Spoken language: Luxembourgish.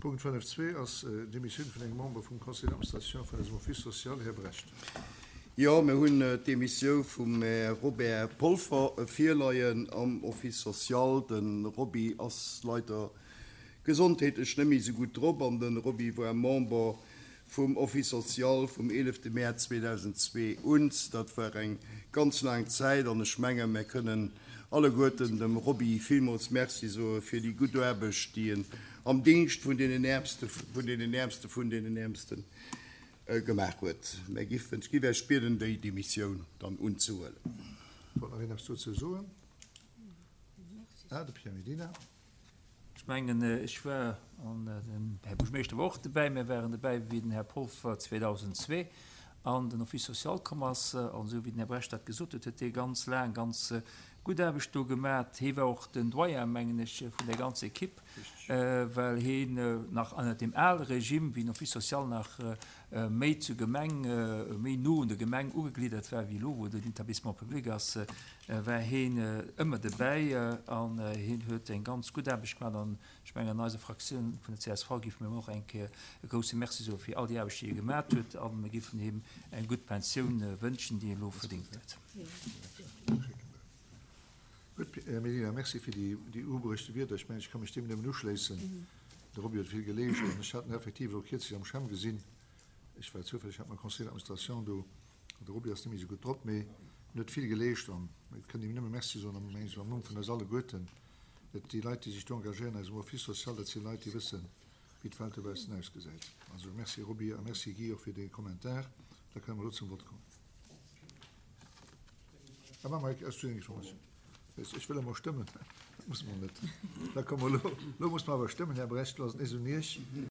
Punkt 5.2 ass d'Demissioun vun engem Member vum Conseil d'administration vun eisem Office social, Här Brecht. Jo, mir hunn d'Demissiou vum Här Robert Polfer virleien am Office social. De Roby ass leider gesondheetlech net méi esou gutt drop an de Roby war Member vum Office social vum 11 Mäerz 2002 un. Dat war eng ganz laang Zäit an ech menge mär kënnen alleguerten dem Roby villmools Merci soe fir déi gutt Aarbecht, déi en am Dingscht vun deenen Äermste vun deenen Äermste vun deenen Äermste gemaach huet. Mär giffen, ech giff Iech bieden, déi Demissioun dann unzehuelen. Wollt nach een eppes dozou soen? Ah, de Pierre Medina. Ech mengen, ech war, an den Här Buergermeeschter war och dobäi, mir waren dobäi, wéi den Här Polfer 2002 an den Office social komm ass. An esou wéi den Här Brecht dat gesot huet, huet hie ganz laang ganz gutt Aarbecht do gemaat. Hie war och den Doyen, mengen ech, vun der ganzer Equipe, well hien nach ënnert deem ale Regime, wéi den Office social nach méi zur Gemeng, méi no un der Gemeng ugegliddert war wéi elo, wou et en Établissement public ass, war heen ëmmer debäi an heen huet eng ganz gutt Aarbecht gemaach an ech mengen an eiser Fraktioun vun der csv géife mir him och eng Kéier e grousse Merci soe fir all déi Aarbecht déi e gemaat huet a mir géifen him eng gutt Pensioun wënschen déi e elo verdéngt huet. Gutt, Här Medina, Merci fir déi ubruechte Wierder. Ech mengen, ech ka mech deem nëmmen uschléissen. De Roby huet vill geleescht an ech hat en effektiv elo kierzlech am CHEM gesinn. Ech war zoufälleg hat mam Conseil d'administration do. De Roby ass net méi esou gutt drop, mee en huet vill geleescht an et kënnt him nëmme Merci soen, am mengen ech am Numm vun eis alleguerten. Et déi Leit, déi sech do engagéieren, eisem Office social, dat si Leit, déi wëssen, wéi d'Welt dobaussen ausgesäit. Also Merci Roby a Merci Guy och fir dee Kommentar. Da kënne mer elo zum Vott kommen. Ah, maache mer eng Ech wëll emol stëmmen. Dat musse mer net. Da komme mer elo, elo musse mer awer stëmmen, Här Brecht, elo ass et nees un Iech.